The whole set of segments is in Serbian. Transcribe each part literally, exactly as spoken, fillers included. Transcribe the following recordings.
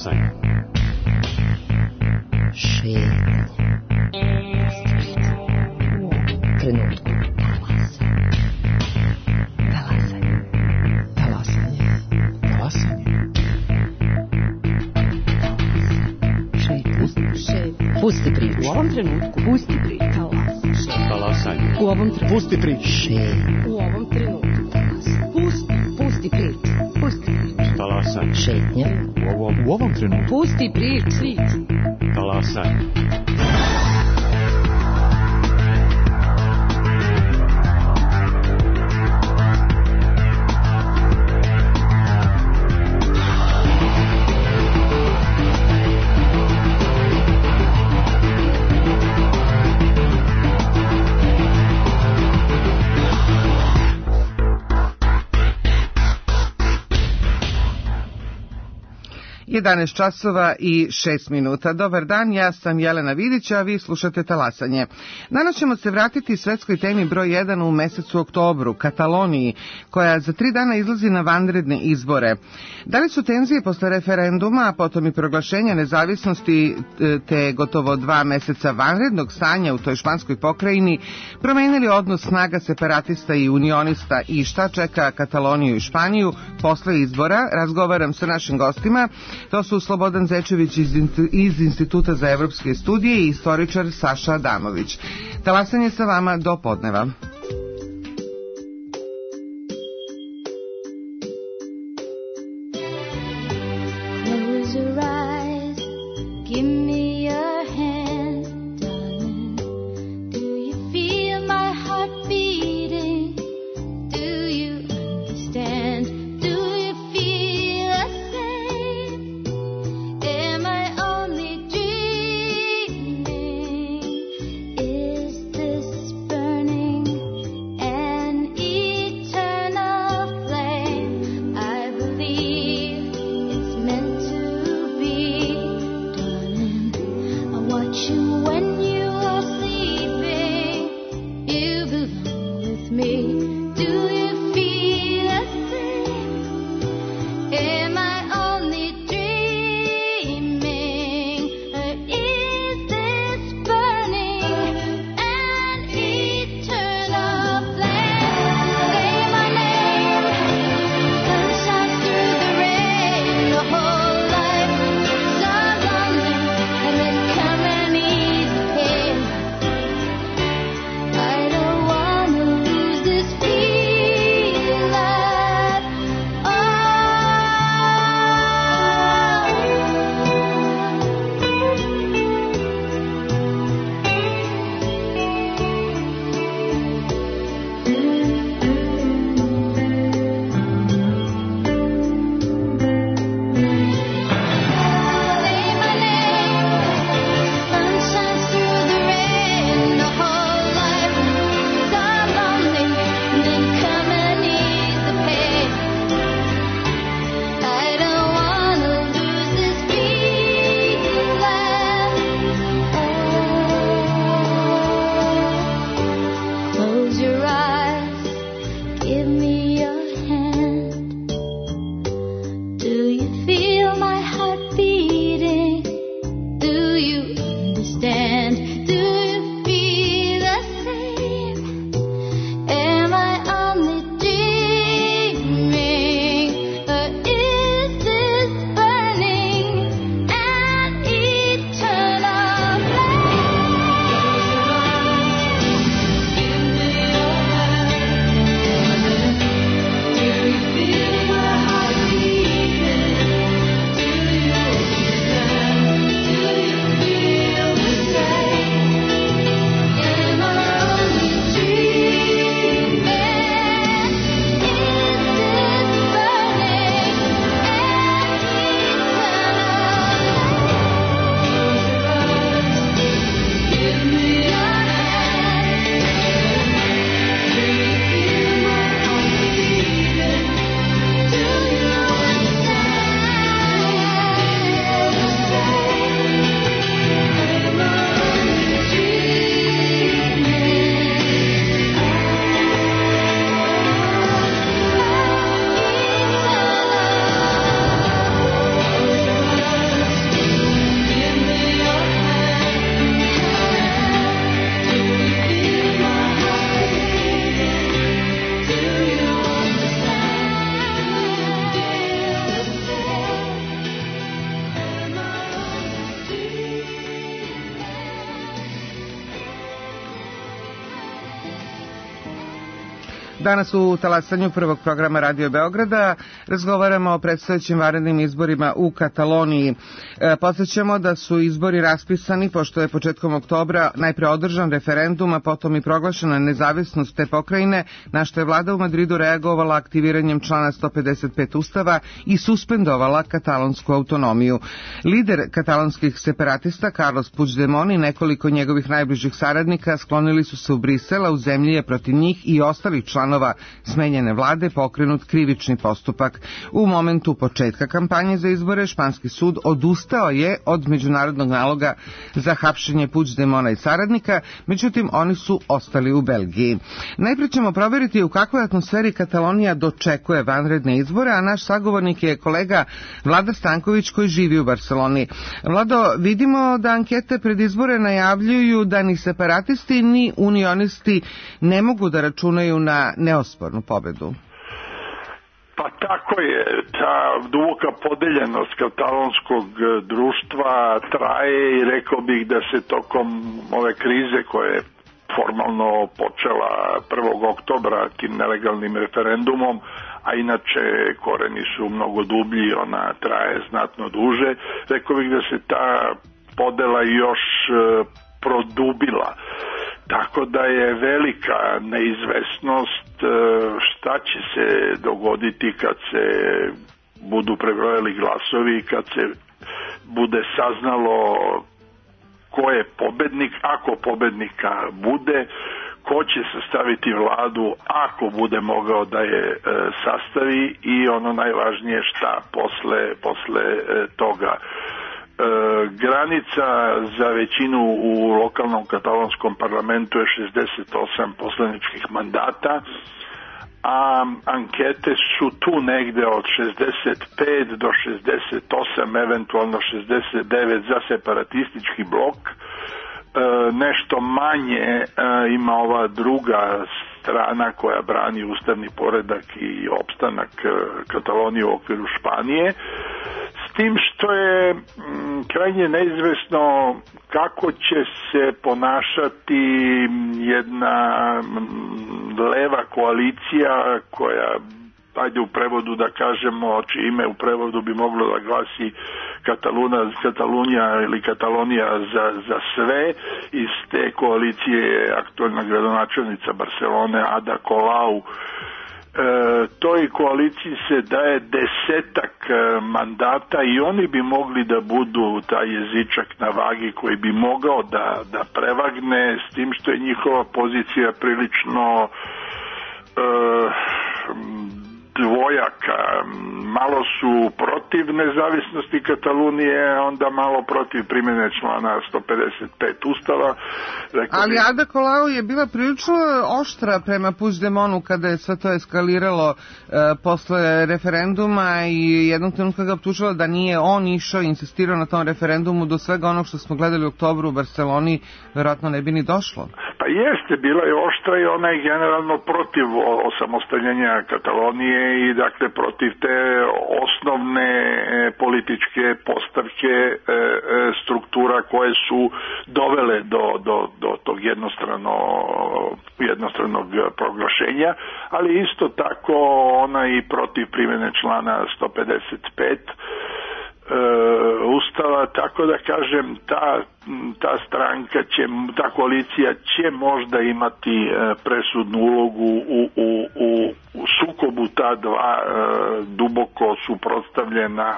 Talasanje. Šetnja. Trenutku. Talasanje. Talasanje. Talasanje. Šetnja. Pusti priču. U ovom trenutku. Pusti priču. Talasanje. U ovom trenutku. Pusti priču. Šetnja. U ovom trenutku. Pusti. Pusti priču. Pusti priču. Talasanje. Šetnja. U ovom, u ovom trenutku. Pusti priču. Talasanje. jedanaest časova i šest minuta. Dobar dan, ja sam Jelena Vidić, a vi slušate Talasanje. Danas ćemo se vratiti svetskoj temi broj jedan u mesecu oktobru, Kataloniji, koja za tri dana izlazi na vanredne izbore. Da li su tenzije posle referenduma, a potom i proglašenja nezavisnosti te gotovo dva meseca vanrednog stanja u toj španskoj pokrajini promenili odnos snaga separatista i unionista i šta čeka Kataloniju i Španiju posle izbora? Razgovaram sa našim gostima. To su Slobodan Zečević iz Instituta za evropske studije i istoričar Saša Adamović. Talasanje sa vama do podneva. This Danas u talasanju prvog programa Radio Beograda razgovaramo o predstojećim vanrednim izborima u Kataloniji. E, podsjećamo da su izbori raspisani pošto je početkom oktobra najpre održan referendum, a potom i proglašena nezavisnost te pokrajine, na što je vlada u Madridu reagovala aktiviranjem člana sto pedeset pet Ustava i suspendovala katalonsku autonomiju. Lider katalonskih separatista Carlos Puigdemont i nekoliko njegovih najbližih saradnika sklonili su se u Brisel, a u zemlji je protiv njih i ostalih članova smenjene vlade pokrenut krivični postupak. U momentu početka kampanje za izbore španski sud odustao je od međunarodnog naloga za hapšenje Puigdemona i saradnika, međutim oni su ostali u Belgiji. Najprije ćemo provjeriti u kakvoj atmosferi Katalonija dočekuje vanredne izbore, a naš sagovornik je kolega Vlada Stanković koji živi u Barceloni. Vlado, vidimo da ankete pred izbore najavljuju da ni separatisti ni unionisti ne mogu da računaju na neospornu pobedu. Pa tako je, ta duboka podeljenost katalonskog društva traje i rekao bih da se tokom ove krize koje je formalno počela prvog oktobra tim nelegalnim referendumom, a inače koreni su mnogo dublji, ona traje znatno duže, rekao bih da se ta podela još produbila. Tako da je velika neizvesnost šta će se dogoditi kad se budu prebrojali glasovi, kad se bude saznalo ko je pobednik, ako pobednika bude, ko će sastaviti vladu ako bude mogao da je e, sastavi i ono najvažnije šta posle, posle e, toga. E, granica za većinu u lokalnom katalonskom parlamentu je šezdeset osam poslaničkih mandata, a ankete su tu negde od šezdeset pet do šezdeset osam, eventualno šezdeset devet za separatistički blok. E, nešto manje e, ima ova druga strana koja brani ustavni poredak i opstanak e, Katalonije u okviru Španije, s tim što je m, krajnje neizvesno kako će se ponašati jedna leva koalicija koja, ajde u prevodu da kažemo, čije ime u prevodu bi moglo da glasi Kataluna, Katalunija ili Katalonija za, za sve. Iz te koalicije je aktualna gradonačelnica Barcelone Ada Colau. E, toj koaliciji se daje desetak mandata i oni bi mogli da budu taj jezičak na vagi koji bi mogao da, da prevagne, s tim što je njihova pozicija prilično e, dvojaka. Malo su protiv nezavisnosti Katalunije, onda malo protiv primjene člana sto pedeset pet Ustava. Rekao Ali bi... Ada Colau je bila prilično oštra prema Puigdemonu kada je sve to eskaliralo e, posle referenduma i jednog trenutka ga optužila da nije on išao i insistirao na tom referendumu, do svega onog što smo gledali u oktobru u Barceloni verovatno ne bi ni došlo. Pa jeste, bila je oštra i ona je generalno protiv osamostaljenja Katalonije i dakle protiv te osnovne e, političke postavke e, e, struktura koje su dovele do, do, do tog jednostrano, jednostranog proglašenja, ali isto tako ona i protiv primjene člana sto pedeset pet Ustava, tako da kažem ta, ta stranka će, ta koalicija će možda imati presudnu ulogu u, u, u, u sukobu ta dva e, duboko suprotstavljena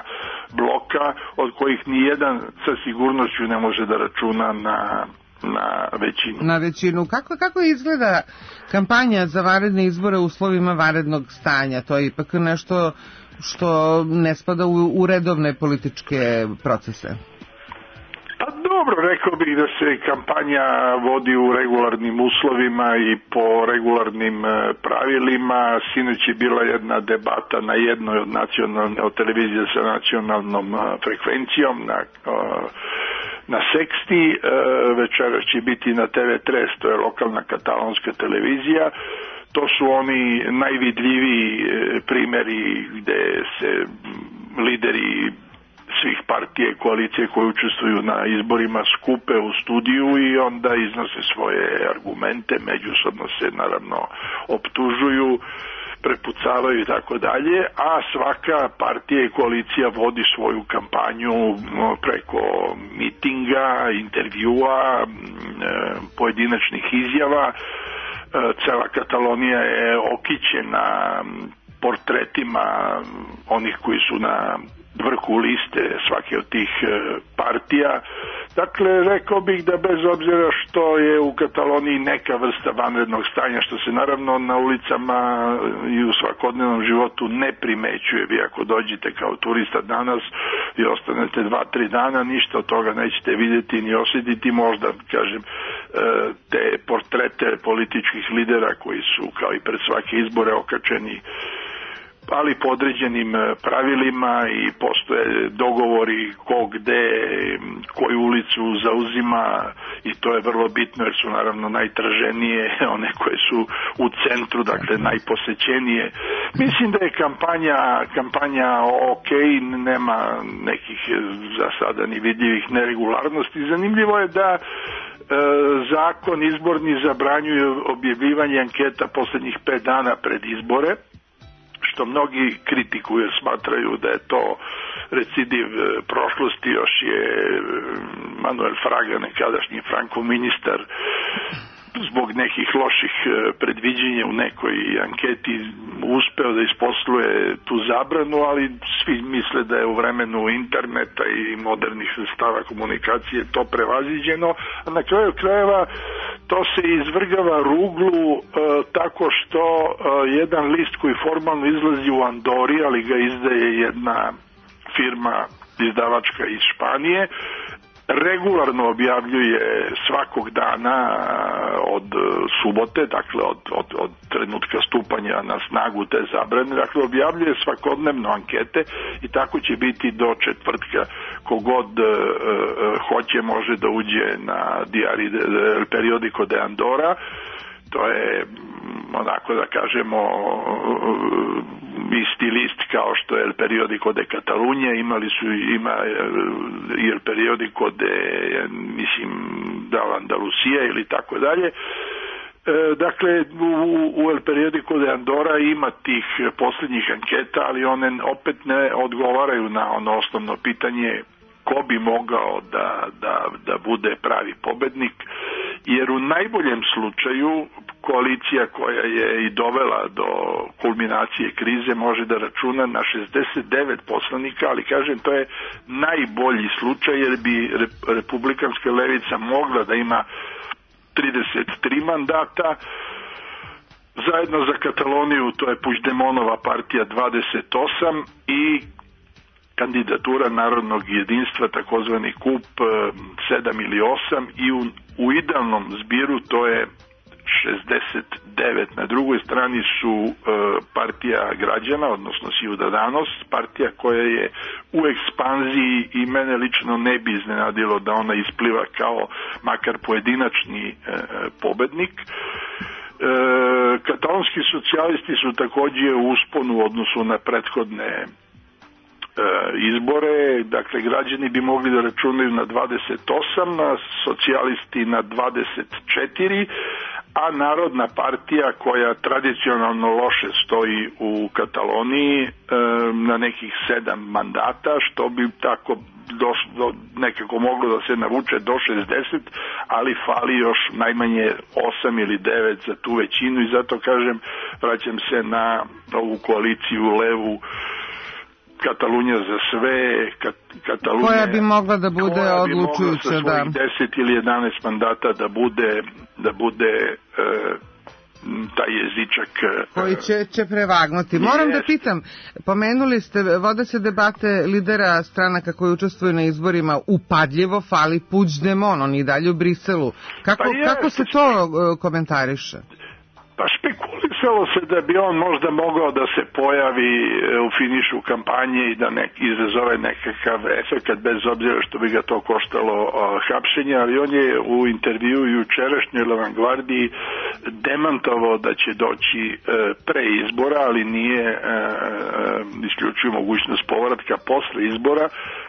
bloka, od kojih nijedan sa sigurnošću ne može da računa na na većinu. Na većinu. Kako, kako izgleda kampanja za vanredne izbore u uslovima vanrednog stanja? To je ipak nešto što ne spada u, u redovne političke procese. Pa dobro, rekao bih da se kampanja vodi u regularnim uslovima i po regularnim pravilima. Sinoć je bila jedna debata na jednoj od nacionalne od televizije sa nacionalnom frekvencijom na na Seksti, večera će biti na te ve tres, to je lokalna katalonska televizija. To su oni najvidljiviji primjeri gde se lideri svih partija i koalicije koje učestvuju na izborima skupe u studiju i onda iznose svoje argumente, međusobno se naravno optužuju, prepucavaju i tako dalje, a svaka partija i koalicija vodi svoju kampanju preko mitinga, intervjua, pojedinačnih izjava. Cela Katalonija je okićena portretima onih koji su na vrhu liste svake od tih partija. Dakle, rekao bih da bez obzira što je u Kataloniji neka vrsta vanrednog stanja, što se naravno na ulicama i u svakodnevnom životu ne primećuje. Vi ako dođete kao turista danas i ostanete dva, tri dana, ništa od toga nećete vidjeti ni osjetiti, možda, kažem, te portrete političkih lidera koji su kao i pred svake izbore okačeni, ali po određenim pravilima i postoje dogovori ko gde, koju ulicu zauzima i to je vrlo bitno jer su naravno najtraženije one koje su u centru, dakle najposećenije. Mislim da je kampanja, kampanja ok, nema nekih za sada ni vidljivih neregularnosti. Zanimljivo je da zakon izborni zabranjuje objavljivanje anketa posljednjih pet dana pred izbore, što mnogi kritikuju, smatraju da je to recidiv prošlosti. Još je Manuel Fraga, nekadašnji Frankov ministar, zbog nekih loših predviđenja u nekoj anketi uspeo da isposluje tu zabranu, ali svi misle da je u vremenu interneta i modernih sredstava komunikacije to prevaziđeno, a na kraju krajeva to se izvrgava ruglu e, tako što e, jedan list koji formalno izlazi u Andori, ali ga izdaje jedna firma izdavačka iz Španije, regularno objavljuje svakog dana od subote, dakle od, od, od trenutka stupanja na snagu te zabrane, dakle objavljuje svakodnevno ankete i tako će biti do četvrtka. Kogod uh, hoće može da uđe na Diari El Periodico de Andora, to je onako da kažemo isti list kao što je El Periodico de Catalunya, imali su ima i El Periodico de mislim da Andalusija ili tako dalje. Dakle, u, u El Periodico de Andora ima tih posljednjih anketa, ali one opet ne odgovaraju na ono osnovno pitanje ko bi mogao da, da, da bude pravi pobednik, jer u najboljem slučaju koalicija koja je i dovela do kulminacije krize može da računa na šezdeset devet poslanika, ali kažem to je najbolji slučaj jer bi republikanska levica mogla da ima trideset tri mandata, zajedno za Kataloniju to je Puigdemontova partija dvadeset osam i kandidatura Narodnog jedinstva, takozvani kup, sedam ili osam i u, u idealnom zbiru to je šezdeset devet. Na drugoj strani su e, partija građana, odnosno Ciudadanos, partija koja je u ekspanziji i mene lično ne bi iznenadilo da ona ispliva kao makar pojedinačni e, pobednik. E, katalonski socijalisti su također u usponu u odnosu na prethodne izbore, dakle građani bi mogli da računaju na dvadeset osam, a socijalisti na dvadeset četiri, a Narodna partija koja tradicionalno loše stoji u Kataloniji na nekih sedam mandata, što bi tako došlo, nekako moglo da se navuče do šezdeset, ali fali još najmanje osam ili devet za tu većinu i zato kažem, vraćam se na ovu koaliciju levu Katalunja za sve, Kat, Katalunja koja bi mogla da bude odlučujuća, da deset ili jedanaest mandata da bude da bude e, taj jezičak koji će, će prevagnuti. Moram da pitam, pomenuli ste, vode se debate lidera stranaka koji učestvuju na izborima, upadljivo fali Puigdemont, on i dalje u Briselu. Kako, pa kako se to komentariše? Pa špekuliše Pričalo se da bi on možda mogao da se pojavi u finišu kampanje i da nek, izazove nekakav efekat, bez obzira što bi ga to koštalo uh, hapšenja, ali on je u intervju jučerašnjoj Avangardiji demantovao da će doći uh, pre izbora, ali nije uh, isključio mogućnost povratka posle izbora,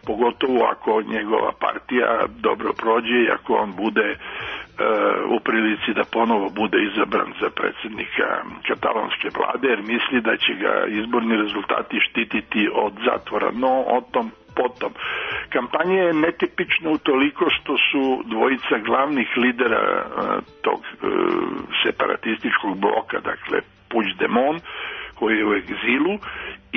pogotovo ako njegova partija dobro prođe i ako on bude u prilici da ponovo bude izabran za predsjednika katalonske vlade, jer misli da će ga izborni rezultati štititi od zatvora. No, o tom potom. Kampanja je netipična utoliko što su dvojica glavnih lidera tog separatističkog bloka, dakle Puigdemont, koji je u egzilu,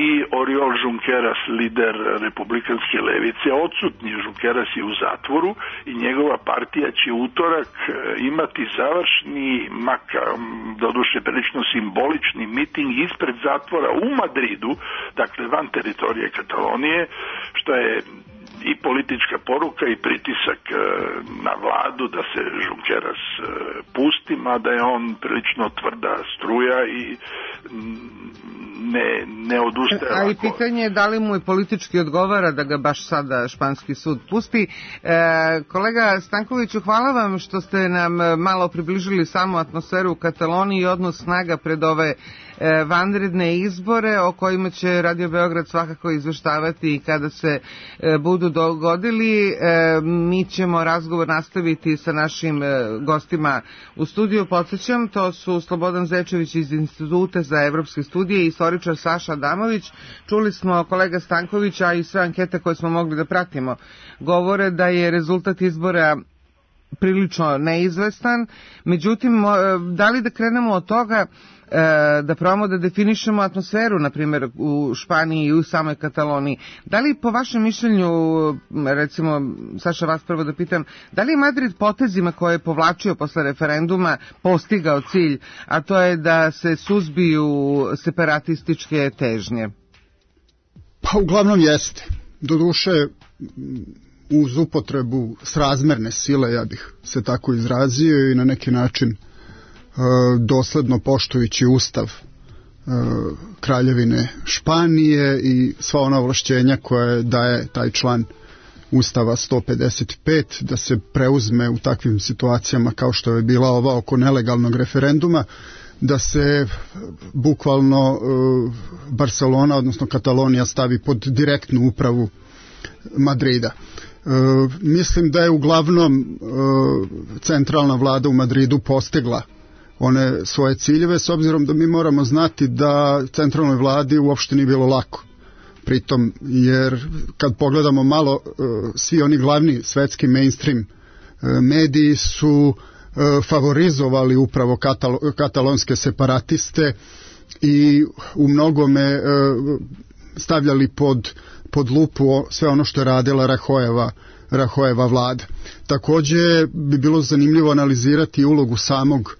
i Oriol Junqueras, lider republikanske levice, odsutni. Junqueras je u zatvoru i njegova partija će utorak imati završni, maka, doduše prilično simbolični miting ispred zatvora u Madridu, dakle van teritorije Katalonije, što je i politička poruka i pritisak na vladu da se Junqueras pusti, mada je on prilično tvrda struja i ne, ne odustaje. A i pitanje je da li mu je politički odgovara da ga baš sada španski sud pusti. E, kolega Stankoviću, hvala vam što ste nam malo približili samu atmosferu u Kataloniji i odnos snaga pred ove e, vanredne izbore o kojima će Radio Beograd svakako izveštavati i kada se e, budu dogodili. E, mi ćemo razgovor nastaviti sa našim e, gostima u studiju. Podsjećam, to su Slobodan Zečević iz Instituta za evropske studije i istoričar Saša Adamović. Čuli smo kolega Stankovića i sve ankete koje smo mogli da pratimo govore da je rezultat izbora prilično neizvestan. Međutim, da li da krenemo od toga da probamo da definišemo atmosferu, na primjer u Španiji i u samoj Kataloniji. Da li po vašem mišljenju, recimo, Saša, vas prvo da pitam, da li je Madrid potezima koje je povlačio posle referenduma postigao cilj, a to je da se suzbiju separatističke težnje? Pa uglavnom jeste. Doduše, uz upotrebu srazmerne sile, ja bih se tako izrazio, i na neki način dosledno poštujući ustav Kraljevine Španije i sva ona ovlašćenja koje daje taj član Ustava sto pedeset pet da se preuzme u takvim situacijama kao što je bila ova oko nelegalnog referenduma, da se bukvalno Barcelona, odnosno Katalonija, stavi pod direktnu upravu Madrida. Mislim da je uglavnom centralna vlada u Madridu postigla one svoje ciljeve, s obzirom da mi moramo znati da centralnoj vladi uopšte nije bilo lako. Pritom, jer kad pogledamo malo, svi oni glavni svetski mainstream mediji su favorizovali upravo katalo, katalonske separatiste i u mnogome stavljali pod, pod lupu sve ono što je radila Rahojeva, Rahojeva vlada. Takođe bi bilo zanimljivo analizirati ulogu samog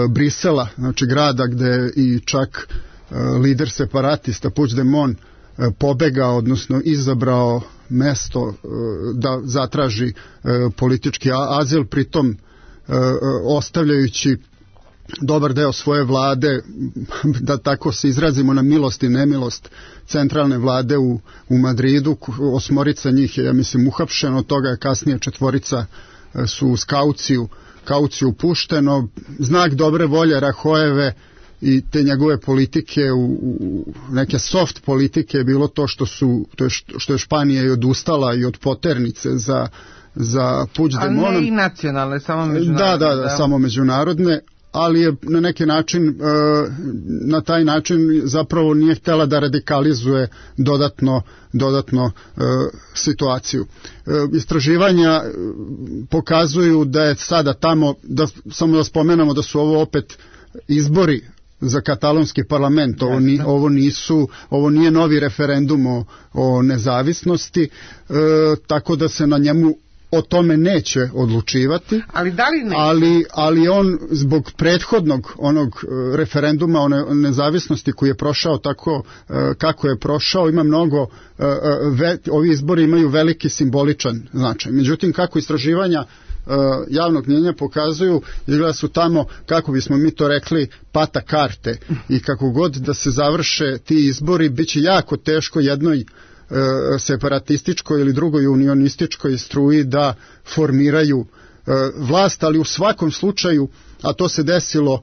Brisela, znači grada gde i čak lider separatista Puigdemont pobegao, odnosno izabrao mesto da zatraži politički azil, pritom ostavljajući dobar deo svoje vlade, da tako se izrazimo, na milost i nemilost centralne vlade u, u Madridu. Osmorica njih je, ja mislim, uhapšeno, od toga je kasnije četvorica su uz kauciju kauciju pušteno. Znak dobre volje Rahojeve i te njegove politike, u, u neke soft politike, je bilo to što su to je što je Španija i odustala i od poternice za za Puigdemontom. A ne i nacionalne, samo međunarodne. Da, da, da, da, samo međunarodne, ali je na neki način, na taj način zapravo nije htjela da radikalizuje dodatno, dodatno situaciju. Istraživanja pokazuju da je sada tamo, da, samo da spomenemo da su ovo opet izbori za katalonski parlament, ovo, ni, ovo, nisu, ovo nije novi referendum o, o nezavisnosti, e, tako da se na njemu o tome neće odlučivati, ali, da li neće? ali, ali on zbog prethodnog onog referenduma o ne, nezavisnosti koji je prošao tako kako je prošao, ima mnogo, ve, ovi izbori imaju veliki simboličan značaj. Međutim, kako istraživanja javnog mnjenja pokazuju izgleda su tamo, kako bismo mi to rekli, pata karte i kako god da se završe ti izbori bit će jako teško jednoj separatističkoj ili drugoj unionističkoj struji da formiraju vlast, ali u svakom slučaju, a to se desilo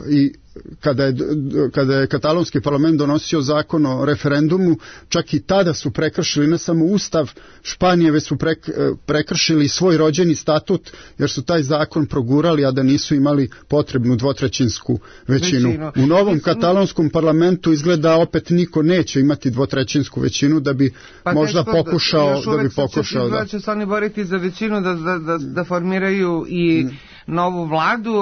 i kada je, kada je katalonski parlament donosio zakon o referendumu, čak i tada su prekršili ne samo ustav Španije, već su prekršili svoj rođeni statut, jer su taj zakon progurali, a da nisu imali potrebnu dvotrećinsku većinu. većinu. U novom katalonskom parlamentu izgleda opet niko neće imati dvotrećinsku većinu da bi pa možda pokušao da, da bi pokušao da će se oni boriti za većinu da, da, da, da formiraju i mm. novu vladu.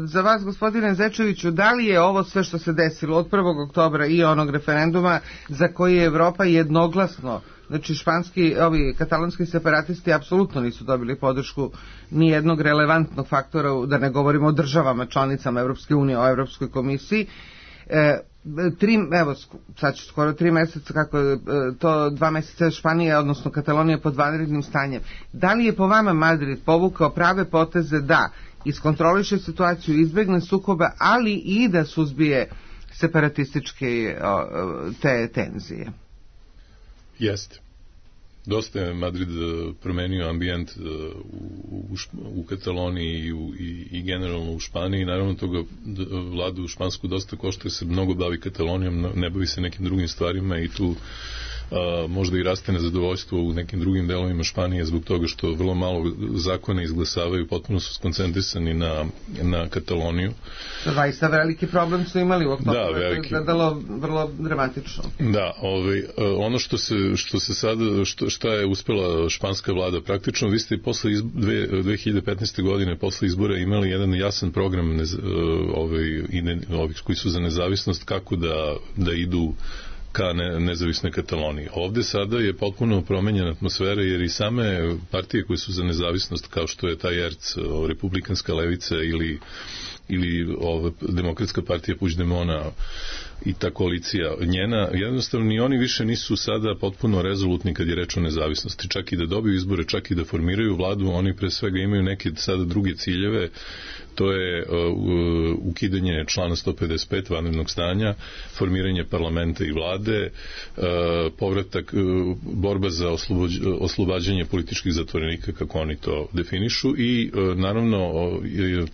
Za vas, gospodine Zečeviću, da li je ovo sve što se desilo od prvog oktobra i onog referenduma za koji je Evropa jednoglasno, znači španski, ovi katalonski separatisti apsolutno nisu dobili podršku ni jednog relevantnog faktora, da ne govorimo o državama, članicama Evropske unije, o Evropskoj komisiji, e, tri, evo, sad će skoro tri meseca, kako je to dva meseca Španija, odnosno Katalonija pod vanrednim stanjem. Da li je po vama Madrid povukao prave poteze da iskontroliše situaciju, izbegne sukoba, ali i da suzbije separatističke te tenzije? Jeste. Dosta je Madrid promenio ambijent u, u, u Kataloniji i, u, i, i generalno u Španiji. Naravno toga vladu špansku dosta košta, jer se mnogo bavi Katalonijom, ne bavi se nekim drugim stvarima i tu a, možda i raste nezadovoljstvo u nekim drugim delovima Španije zbog toga što vrlo malo zakone izglasavaju, potpuno su skoncentrisani na, na Kataloniju. Zaista veliki problem su imali u oktobru, da, veliki. To je gledalo vrlo dramatično. Da, ovaj, ono što se, što se sada, što, šta je uspela španska vlada praktično, vi ste posle izb, dve, dve hiljade petnaeste. godine posle izbora imali jedan jasan program nez, ovaj, ovih koji su za nezavisnost, kako da, da idu ka ne, nezavisnoj Kataloniji. Ovde sada je potpuno promenjena atmosfera, jer i same partije koje su za nezavisnost, kao što je taj E R C, Republikanska levica ili ili ova demokratska partija Puigdemona i ta koalicija njena, jednostavno ni oni više nisu sada potpuno rezolutni kad je reč o nezavisnosti. Čak i da dobiju izbore, čak i da formiraju vladu, oni pre svega imaju neke sada druge ciljeve. To je uh, ukidanje člana sto pedeset pet vanrednog stanja, formiranje parlamenta i vlade, uh, povratak, uh, borba za oslobođ, oslobađanje političkih zatvorenika, kako oni to definišu, i uh, naravno uh,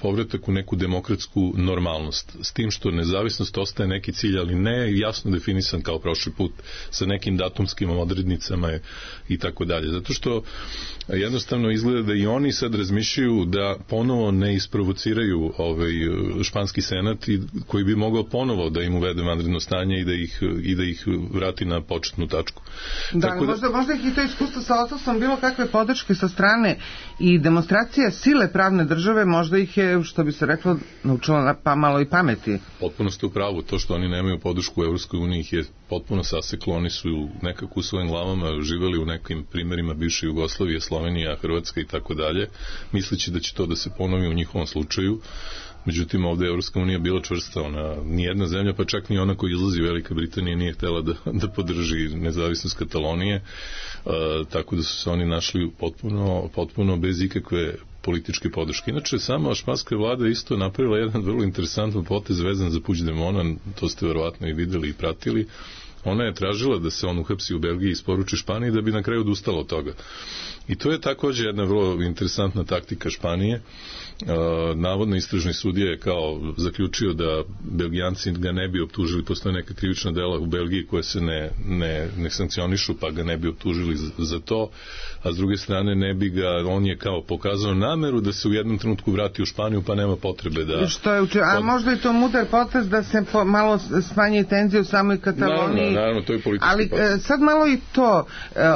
povratak u neku demokratsku normalnost. S tim što nezavisnost ostaje neki cilj, ali ne jasno definisan kao prošli put, sa nekim datumskim odrednicama i tako dalje. Zato što jednostavno izgleda da i oni sad razmišljaju da ponovo ne isprovociraju ovaj španski senat i koji bi mogao ponovo da im uvede vanredno stanje i da ih, i da ih vrati na početnu tačku. Da, Tako da, možda, možda ih i to iskustvo sa odsustvom bilo kakve podrške sa strane i demonstracija sile pravne države, možda ih je, što bi se reklo, naučila pa malo i pameti. Potpuno ste u pravu. To što oni nemaju podršku u Evropskoj uniji ih je potpuno saseklo. Oni su nekako u svojim glavama živeli u nekim primerima bivše Jugoslavije, Slovenija, Hrvatska i tako dalje, misleći da će to da se ponovi u njihovom slučaju. Međutim, ovde je Evropska unija bila čvrsta. Ona, nijedna zemlja, pa čak ni ona koja izlazi, Velika Britanija, nije htela da, da podrži nezavisnost Katalonije, e, tako da su se oni našli potpuno, potpuno bez ikakve političke podrške. Inače, sama španska vlada isto napravila jedan vrlo interesantan potez vezan za Puigdemona, to ste verovatno i videli i pratili. Ona je tražila da se on uhapsi u Belgiji i isporuči Španiji, da bi na kraju odustala od toga. I to je također jedna vrlo interesantna taktika Španije. Navodno istražni sudija je kao zaključio da Belgijanci ga ne bi optužili, postoje neka krivična dela u Belgiji koje se ne, ne, ne sankcionišu, pa ga ne bi optužili za, za to, a s druge strane ne bi ga, on je kao pokazao nameru da se u jednom trenutku vrati u Španiju, pa nema potrebe da... Što je učio, a možda je to mudar potez da se po, malo smanji tenziju u samoj Kataloniji. Naravno, naravno, to je politički ali potez. Sad malo i to,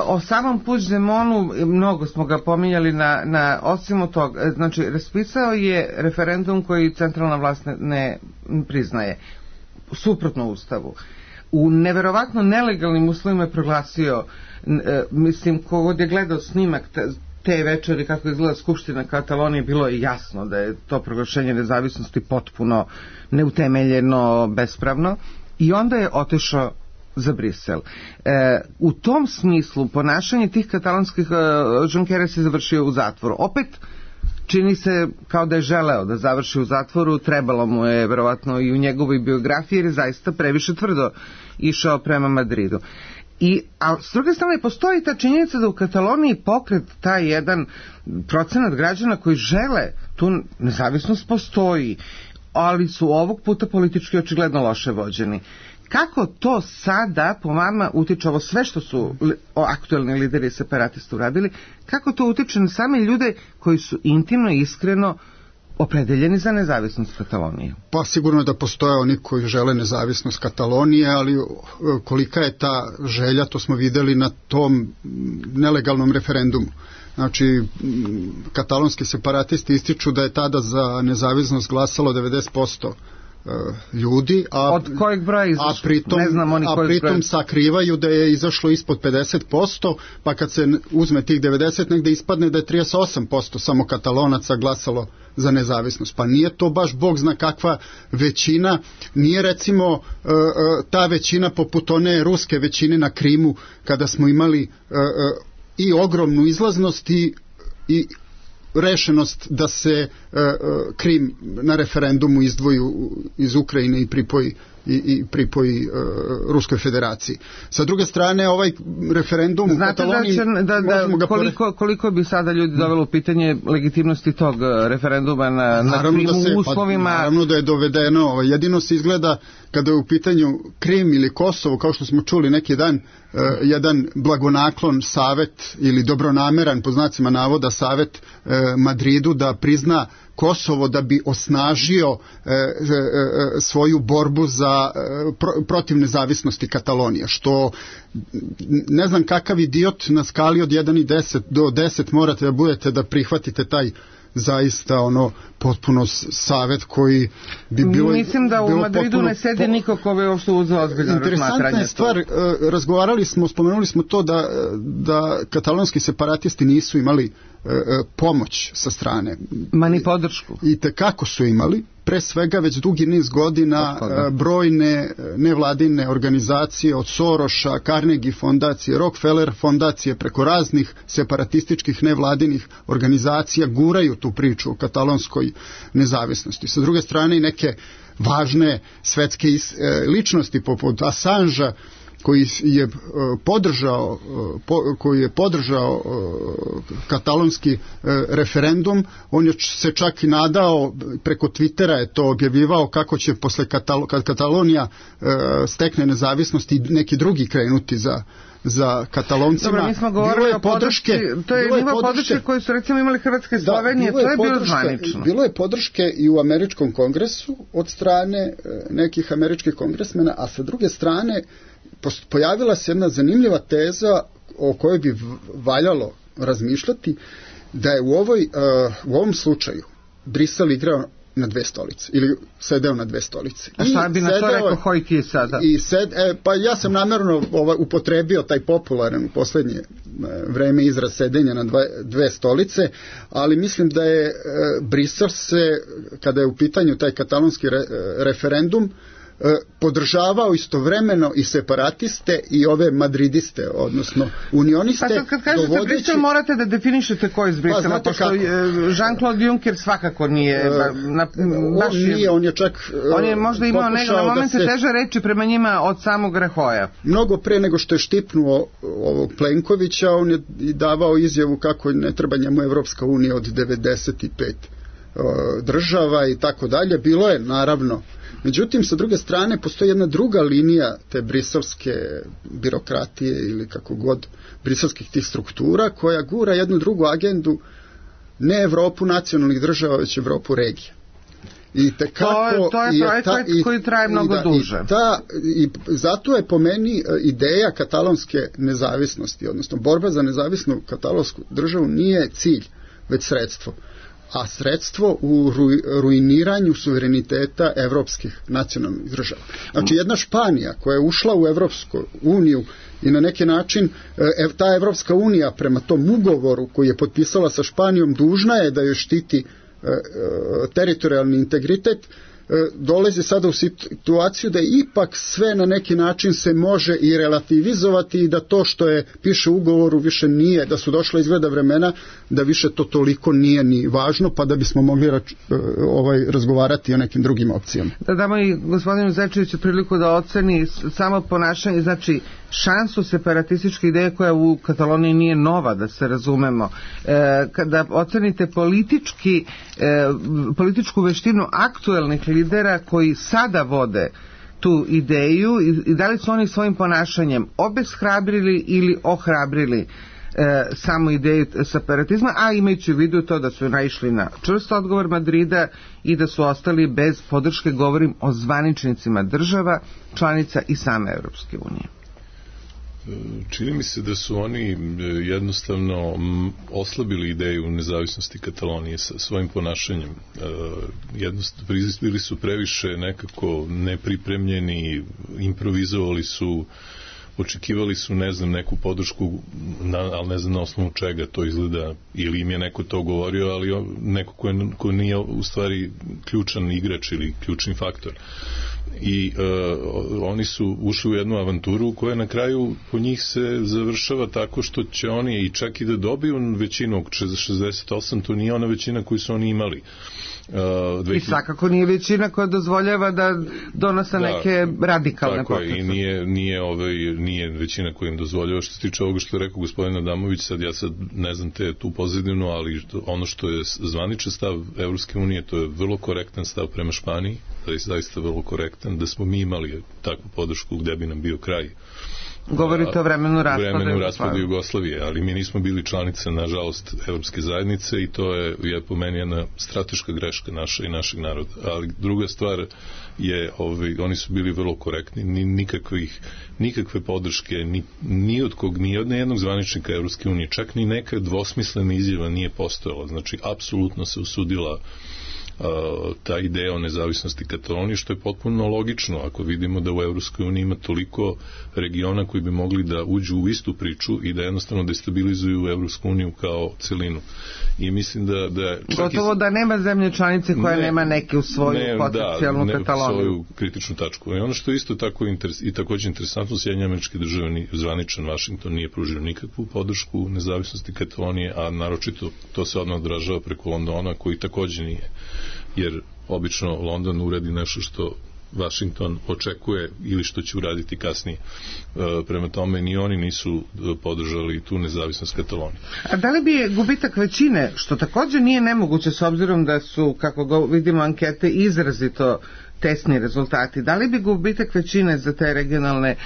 o samom Puigdemonu, mnogo smo ga pominjali na, na osim od toga, znači raspisao je referendum koji centralna vlast ne, ne priznaje, suprotno ustavu. U neverovatno nelegalnim uslovima je proglasio, e, mislim, kogod je gledao snimak te, te večeri kako izgleda Skupština Katalonije, bilo je jasno da je to proglašenje nezavisnosti potpuno neutemeljeno, bespravno, i onda je otišao za Brisel. E, u tom smislu ponašanje tih katalonskih, e, Junqueras se završio u zatvoru. Opet čini se kao da je želeo da završi u zatvoru, trebalo mu je verovatno i u njegovoj biografiji jer je zaista previše tvrdo išao prema Madridu. I, a s druge strane postoji ta činjenica da u Kataloniji pokret taj jedan procenat građana koji žele tu nezavisnost postoji, ali su ovog puta politički očigledno loše vođeni. Kako to sada po vama utiče ovo sve što su aktuelni lideri separatista uradili, kako to utiče na same ljude koji su intimno i iskreno opredeljeni za nezavisnost Katalonije? Pa sigurno da postoje oni koji žele nezavisnost Katalonije, ali kolika je ta želja, to smo videli na tom nelegalnom referendumu. Znači, katalonski separatisti ističu da je tada za nezavisnost glasalo devedeset posto ljudi, a, od kojeg broja izašlo? A pritom, ne znam oni a pritom broja sakrivaju da je izašlo ispod pedeset posto, pa kad se uzme tih devedeset negde ispadne da je trideset osam posto samo Katalonaca glasalo za nezavisnost. Pa nije to baš Bog zna kakva većina, nije recimo ta većina poput one ruske većine na Krimu kada smo imali i ogromnu izlaznost i, i rešenost da se uh, Krim na referendumu izdvoji iz Ukrajine i pripoji i, i pripoji uh, Ruskoj federaciji. Sa druge strane, ovaj referendum u Kataloniji... Znate da, da, da koliko, koliko bi sada ljudi dovelo u pitanje legitimnosti tog referenduma na, na Krimu da se, u uslovima... Pa, naravno da je dovedeno, jedino se izgleda kada je u pitanju Krim ili Kosovo, kao što smo čuli neki dan, uh, jedan blagonaklon savet ili dobronameran, po znacima navoda, savet uh, Madridu da prizna Kosovo da bi osnažio e, e, e, svoju borbu za e, pro, protiv nezavisnosti Katalonije, što ne znam kakav idiot na skali od jedan i deset do deset morate da budete da prihvatite taj zaista ono potpuno savet koji bi bilo... Mislim da u Madridu potpuno, ne sedi niko ko bi uopšte uzeo ozbiljno razmatranje. Interesantna je stvar, e, razgovarali smo, spomenuli smo to da, da katalonski separatisti nisu imali e, pomoć sa strane. Ma ni podršku. I tekako su imali, pre svega već dugi niz godina e, brojne nevladine organizacije od Soroša, Carnegie fondacije, Rockefeller fondacije, preko raznih separatističkih nevladinih organizacija guraju tu priču o katalonskoj nezavisnosti. Sa druge strane i neke važne svetske ličnosti poput Assangea koji je podržao koji je podržao katalonski referendum, on je se čak i nadao, preko Twittera je to objavljivao, kako će posle Katal- kad Katalonija stekne nezavisnost i neki drugi krenuti za za Kataloncima. Dobro, mi smo govorili o podrške, to je nivo podrške koje su recimo imali Hrvatske i Slovenije, da, to je bilo zvanično. Bilo je podrške i u američkom kongresu od strane nekih američkih kongresmena, a sa druge strane pojavila se jedna zanimljiva teza o kojoj bi valjalo razmišljati, da je u, ovoj, u ovom slučaju Brisel igrao na dve stolice, ili sedeo na dve stolice. A šta bi na to rekao Hojti sada? I sed, e, pa ja sam namjerno ovaj, upotrebio taj popularan u poslednje e, vreme izraz sedenja na dve, dve stolice, ali mislim da je e, Brisel se, kada je u pitanju taj katalonski re, referendum, podržavao istovremeno i separatiste i ove madridiste, odnosno unioniste. Pa sad kad kažete dovodeći... Brisel morate da definišete ko je iz Brisela, pa, pošto Jean-Claude Juncker svakako nije na, on nije, je, on je čak on je možda imao nego na momente se, teže reči prema njima od samog Rajoya. Mnogo pre nego što je štipnuo ovog Plenkovića, on je i davao izjavu kako ne treba njemu Evropska unija od devedeset pet država i tako dalje. Bilo je naravno. Međutim, sa druge strane, postoji jedna druga linija te briselske birokratije ili kako god, briselskih tih struktura, koja gura jednu drugu agendu, ne Evropu nacionalnih država, već Evropu regije. I tekako, to, to je projekat koji traje mnogo da, duže. I, ta, i zato je po meni ideja katalonske nezavisnosti, odnosno borba za nezavisnu katalonsku državu nije cilj, već sredstvo. A sredstvo u ruiniranju suvereniteta evropskih nacionalnih država. Znači jedna Španija koja je ušla u Evropsku uniju i na neki način ta Evropska unija prema tom ugovoru koji je potpisala sa Španijom dužna je da joj štiti teritorijalni integritet, dolazi sada u situaciju da ipak sve na neki način se može i relativizovati i da to što je piše u ugovoru više nije, da su došla izgleda vremena da više to toliko nije ni važno, pa da bismo mogli rač, ovaj, razgovarati o nekim drugim opcijama. Da damo i gospodinu Zečeviću priliku da oceni samo ponašanje, znači šansu separatističke ideje koja u Kataloniji nije nova, da se razumemo. E, kada ocenite politički, e, političku veštinu aktuelnih lidera koji sada vode tu ideju i, i da li su oni svojim ponašanjem obeshrabrili ili ohrabrili E, samo ideju separatizma, a imajući u vidu to da su naišli na čvrst odgovor Madrida i da su ostali bez podrške, govorim o zvaničnicima država, članica i same Evropske unije. Čini mi se da su oni jednostavno oslabili ideju nezavisnosti Katalonije sa svojim ponašanjem. Jednostavno, bili su previše nekako nepripremljeni, improvizovali su, očekivali su, ne znam, neku podršku, na, ali ne znam na osnovu čega to izgleda, ili im je neko to govorio, ali neko ko, je, ko nije u stvari ključan igrač ili ključni faktor. I uh, oni su ušli u jednu avanturu koja na kraju po njih se završava tako što će oni i čak i da dobiju većinu šezdeset osam, to nije ona većina koju su oni imali. Uh, dve... I svakako nije većina koja dozvoljava da donose da, neke radikalne poteze. Tako je, i nije, nije, ovaj, nije većina koja im dozvoljava. Što se tiče ovoga što je rekao gospodin Adamović, sad ja sad ne znam te tu pozadinu, ali ono što je zvaničan stav Evropske unije, to je vrlo korektan stav prema Španiji, da je zaista vrlo korektan, da smo mi imali takvu podršku gde bi nam bio kraj. Govorite o vremenu raspada vremenu raspada Jugoslavije, ali mi nismo bili članica, nažalost, Evropske zajednice i to je, je po meni jedna strateška greška naša i našeg naroda. Ali druga stvar je, ovaj, oni su bili vrlo korektni, ni, nikakvih, nikakve podrške, ni, ni od kog, ni od jednog zvaničnika Evropske unije, čak ni neka dvosmislena izjava nije postojala. Znači, apsolutno se usudila ta ideja o nezavisnosti Katalonije, što je potpuno logično ako vidimo da u Evropskoj uniji ima toliko regiona koji bi mogli da uđu u istu priču i da jednostavno destabilizuju Evropsku uniju kao celinu. I mislim da... da gotovo i... da nema zemlje članice koja ne, nema neke u svoju ne, potencijalnu da, Kataloniju. Ne, svoju kritičnu tačku. I ono što je isto tako interes, i također interesantno, Sjedinjene Američke Države, zvaničan Vašington nije pružio nikakvu podršku nezavisnosti Katalonije, a naročito to se odmah odražava preko Londona, koji također nije. Jer obično London uradi nešto što Washington očekuje ili što će uraditi kasnije. E, prema tome ni oni nisu podržali tu nezavisnost Katalonije. A da li bi gubitak većine, što također nije nemoguće s obzirom da su, kako go vidimo ankete, izrazito tesni rezultati, da li bi gubitak većine za te regionalne e,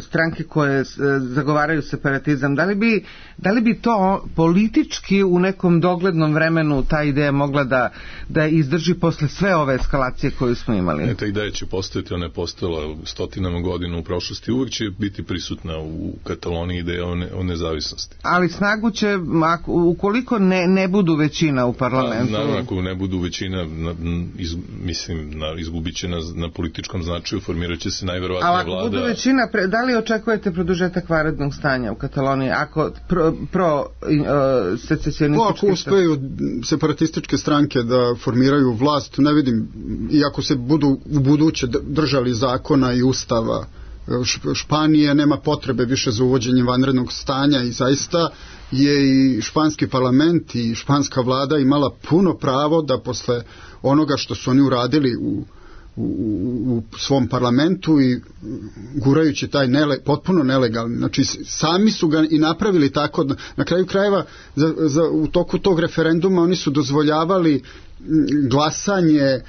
stranke koje e, zagovaraju separatizam, da li, bi, da li bi to politički u nekom doglednom vremenu ta ideja mogla da, da izdrži posle sve ove eskalacije koju smo imali? Ne, ta ideja će postojati, ona je postojala stotinama godina u prošlosti, uvijek će biti prisutna u Kataloniji ideja o, ne, o nezavisnosti. Ali snagu će, ako, ukoliko ne, ne budu većina u parlamentu... Naravno, ako ne budu većina, na, iz, mislim, Na, izgubit će na, na političkom značaju, formirat će se najverovatnije vlada. Ali ako budu većina, pre, da li očekujete produžetak vanrednog stanja u Kataloniji ako pro, pro uh, secesionističke... Ako uspeju separatističke stranke da formiraju vlast, ne vidim, i ako se budu u buduće držali zakona i ustava Španije, nema potrebe više za uvođenjem vanrednog stanja i zaista je i španski parlament i španska vlada imala puno pravo da posle onoga što su oni uradili u, u, u svom parlamentu i gurajući taj nele, potpuno nelegalni, znači sami su ga i napravili tako, na kraju krajeva za, za, u toku tog referenduma oni su dozvoljavali glasanje,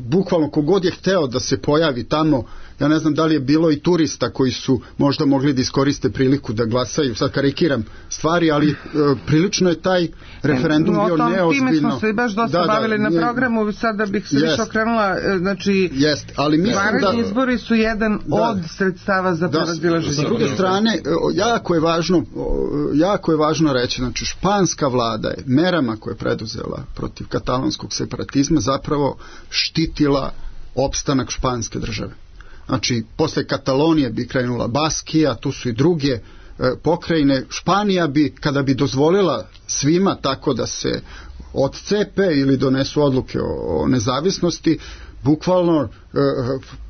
bukvalno kogod je hteo da se pojavi tamo. Ja ne znam da li je bilo i turista koji su možda mogli da iskoriste priliku da glasaju, sad karikiram stvari, ali e, prilično je taj referendum no, bio tom, neozbiljno. Time smo se baš dosta da, bavili da, na nije, programu, sada bih se jest, više okrenula, znači jest, ali vanredni da, izbori su jedan da, od sredstava za prevazilaženje. S druge strane, jako je važno jako je važno reći, znači španska vlada je merama koje je preduzela protiv katalonskog separatizma zapravo štitila opstanak španske države. Znači, posle Katalonije bi krenula Baskija, tu su i druge e, pokrajine. Španija bi, kada bi dozvolila svima tako da se odcepe ili donesu odluke o, o nezavisnosti, bukvalno e,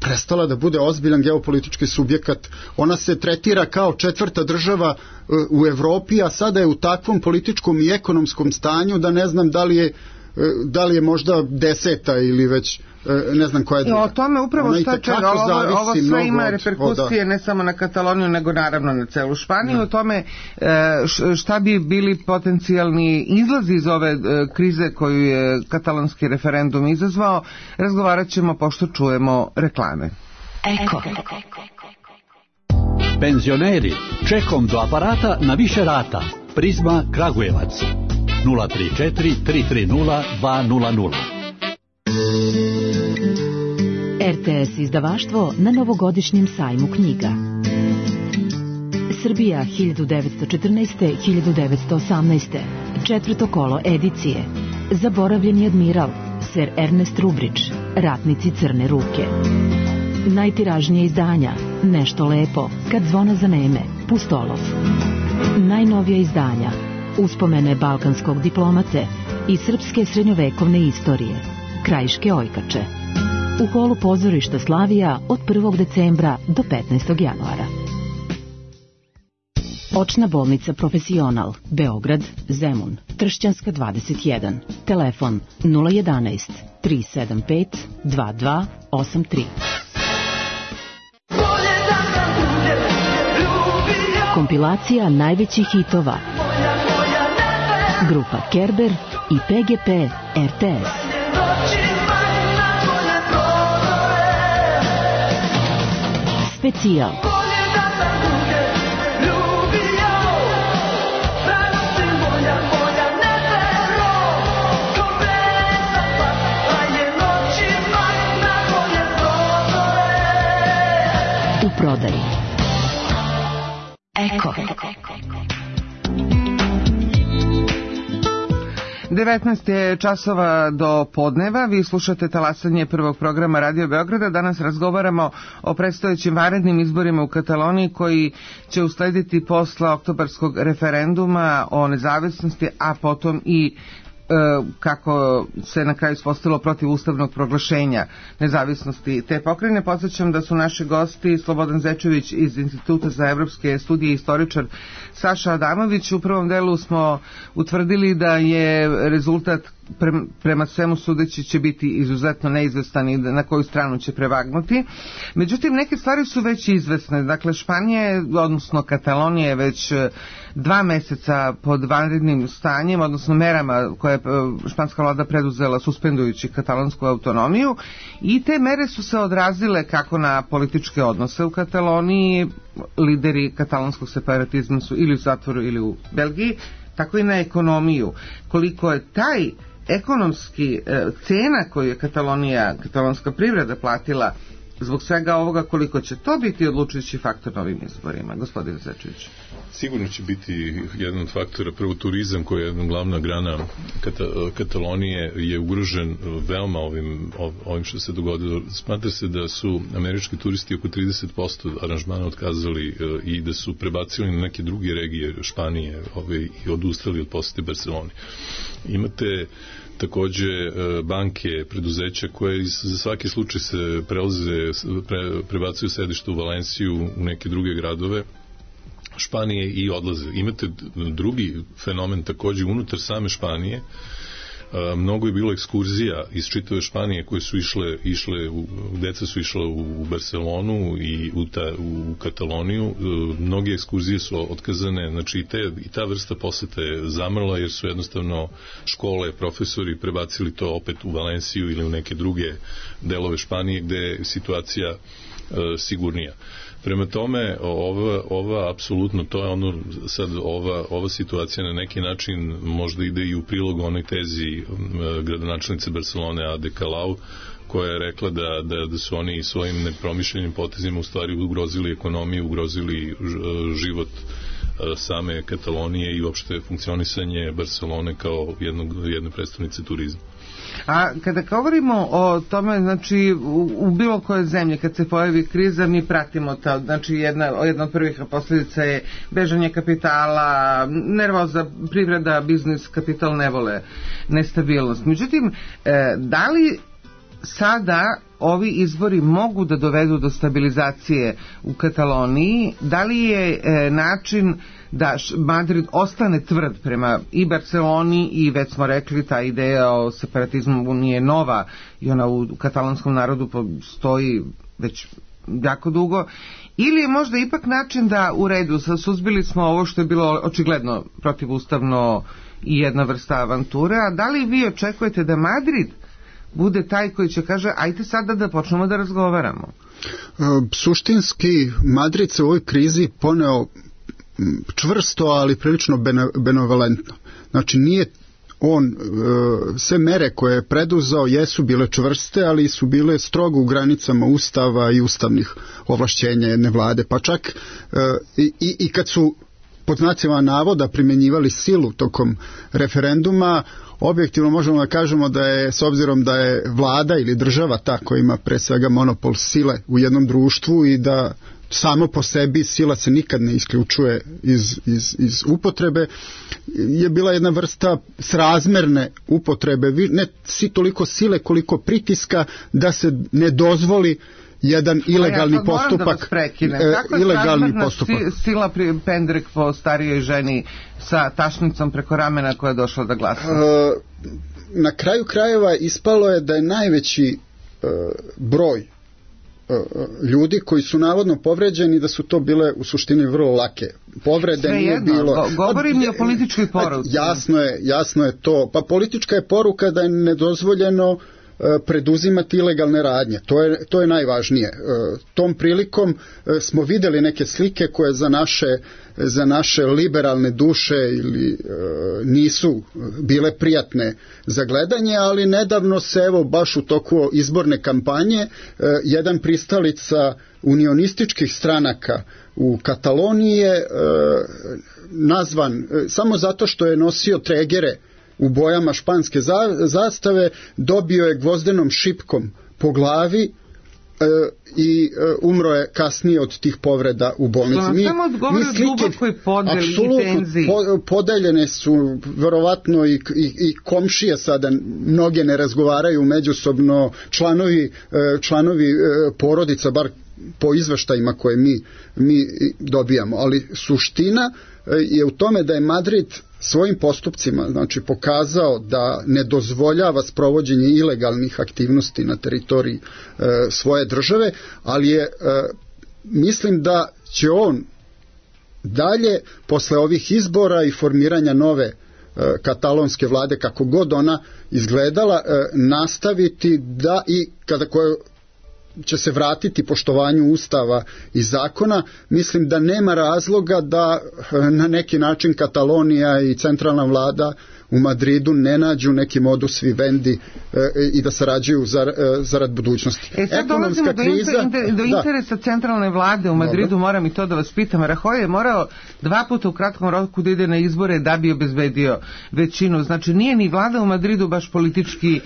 prestala da bude ozbiljan geopolitički subjekat. Ona se tretira kao četvrta država e, u Evropi, a sada je u takvom političkom i ekonomskom stanju da ne znam da li je da li je možda deseta ili već ne znam koja je druga. I o tome upravo stače, ovo, ovo sve ima reperkusije ne samo na Kataloniju nego naravno na celu Španiju. Ne. O tome šta bi bili potencijalni izlazi iz ove krize koju je katalonski referendum izazvao, razgovarat ćemo pošto čujemo reklame. Eko. Penzioneri, čekom do aparata na više rata. Prizma Kragujevac. nula tri četiri tri tri nula dva nula nula. R T S izdavaštvo na novogodišnjem sajmu knjiga. Srbija hiljadu devetsto četrnaeste do hiljadu devetsto osamnaeste. Četvrto kolo edicije. Zaboravljeni admiral, ser Ernest Rubrić, Ratnici crne ruke. Najtiražnije izdanja, Nešto lepo, Kad zvona zaneme, Pustolov. Najnovija izdanja, Uspomene balkanskog diplomate i srpske srednjovekovne istorije, Krajiške ojkače. U holu pozorišta Slavija od prvog decembra do petnaestog januara. Očna bolnica Profesional, Beograd, Zemun, Tršćanska dvadeset jedan. Telefon nula jedanaest tri sedam pet dva dva osam tri. Kompilacija najvećih hitova. Grupa Kerber i P G P R T S. Specijal. U prodaji. Eko. devetnaest je časova do podneva, vi slušate talasanje prvog programa Radio Beograda. Danas razgovaramo o predstojećim vanrednim izborima u Kataloniji koji će uslediti posle oktobarskog referenduma o nezavisnosti, a potom i kako se na kraju ispostavilo protiv ustavnog proglašenja nezavisnosti te pokrajine. Podsjećam da su naši gosti Slobodan Zečević iz Instituta za evropske studije i istoričar Saša Adamović. U prvom delu smo utvrdili da je rezultat prema svemu sudeći će biti izuzetno neizvestan i na koju stranu će prevagnuti. Međutim, neke stvari su već izvesne. Dakle, Španija, odnosno Katalonija je već dva meseca pod vanrednim stanjem, odnosno merama koje je španska vlada preduzela suspendujući katalonsku autonomiju, i te mere su se odrazile kako na političke odnose u Kataloniji, lideri katalonskog separatizma su ili u zatvoru ili u Belgiji, tako i na ekonomiju. Koliko je taj ekonomski e, cena koju je Katalonija, katalonska privreda platila zbog svega ovoga, koliko će to biti odlučujući faktor na ovim izborima, gospodin Zečević? Sigurno će biti jedan od faktora. Prvo, turizam koji je jedna glavna grana Kata, Katalonije je ugrožen veoma ovim, ovim što se dogodilo. Smatra se da su američki turisti oko trideset posto aranžmana otkazali i da su prebacili na neke druge regije Španije ove, i odustali od posete Barceloni. Imate takođe banke, preduzeća koje za svaki slučaj se prelaze, pre, prebacuju sedište u Valenciju, u neke druge gradove Španije i odlaze. Imate drugi fenomen takođe unutar same Španije. Mnogo je bilo ekskurzija iz čitave Španije koje su išle, išle u, deca su išla u, u Barcelonu i u, ta, u Kataloniju. Mnoge ekskurzije su otkazane, znači i, te, i ta vrsta posete je zamrla jer su jednostavno škole, profesori prebacili to opet u Valenciju ili u neke druge delove Španije gde je situacija e, sigurnija. Prema tome, ova, ova apsolutno, to je ono, sad ova, ova situacija na neki način možda ide i u prilog onoj tezi gradonačelnice Barcelone Ade Colau, koja je rekla da, da, da su oni svojim nepromišljenim potezima u stvari ugrozili ekonomiju, ugrozili život same Katalonije i uopšte funkcionisanje Barcelone kao jednog, jedne predstavnice turizma. A kada govorimo o tome, znači u, u bilo koje zemlje kad se pojavi kriza mi pratimo to, znači jedna, jedna od prvih posljedica je bežanje kapitala, nervoza, privreda, biznis, kapital ne vole nestabilnost. Međutim, e, da li sada ovi izbori mogu da dovedu do stabilizacije u Kataloniji? Da li je e, način da Madrid ostane tvrd prema i Barceloni i već smo rekli ta ideja o separatizmu nije nova i ona u, u katalonskom narodu postoji već jako dugo, ili je možda ipak način da u redu suzbili smo ovo što je bilo očigledno protivustavno i jedna vrsta avanture, a da li vi očekujete da Madrid bude taj koji će kaže ajte sada da počnemo da razgovaramo? Suštinski Madrid se u ovoj krizi poneo čvrsto, ali prilično benevolentno. Znači nije on, sve mere koje je preduzao jesu bile čvrste, ali su bile strogo u granicama ustava i ustavnih ovlašćenja jedne vlade, pa čak i, i, i kad su pod znacima navoda primjenjivali silu tokom referenduma, objektivno možemo da kažemo da je, s obzirom da je vlada ili država ta koja ima pre svega monopol sile u jednom društvu i da samo po sebi sila se nikad ne isključuje iz, iz, iz upotrebe, je bila jedna vrsta srazmerne upotrebe, ne si toliko sile koliko pritiska da se ne dozvoli jedan ilegalni ja postupak. Kako je ilegalni postupak. Sila pri pendrek po starijoj ženi sa tašnicom preko ramena koja je došla da glasa? E, na kraju krajeva ispalo je da je najveći e, broj ljudi koji su navodno povređeni, da su to bile u suštini vrlo lake povrede. Sve nije jedno, bilo. govorim mi o političkoj poruci. Jasno je, jasno je to. Pa politička je poruka da je nedozvoljeno preduzimati ilegalne radnje. To je, to je najvažnije. Tom prilikom smo videli neke slike koje za naše, za naše liberalne duše ili nisu bile prijatne za gledanje, ali nedavno se evo baš u toku izborne kampanje jedan pristalica unionističkih stranaka u Kataloniji je nazvan samo zato što je nosio tregere u bojama španske zastave, dobio je gvozdenom šipkom po glavi e, i e, umro je kasnije od tih povreda u bolnici. Što mi, samo odgovori o dubokoj podeli i tenziji. Po, podeljene su verovatno i, i, i komšije sada, mnoge ne razgovaraju međusobno, članovi, članovi porodica, bar po izveštajima koje mi, mi dobijamo. Ali suština je u tome da je Madrid svojim postupcima, znači, pokazao da ne dozvoljava sprovođenje ilegalnih aktivnosti na teritoriji e, svoje države, ali je, e, mislim da će on dalje, posle ovih izbora i formiranja nove e, katalonske vlade, kako god ona izgledala, e, nastaviti da i kada koje će se vratiti poštovanju ustava i zakona, mislim da nema razloga da na neki način Katalonija i centralna vlada u Madridu ne nađu neki modus vivendi e, i da sarađuju za, e, zarad budućnosti. E sad dolazimo do, kriza, inter, do interesa da. centralne vlade u Madridu. Dobre. Moram i to da vas pitam. Rajoy je morao dva puta u kratkom roku da ide na izbore da bi obezbedio većinu. Znači nije ni vlada u Madridu baš politički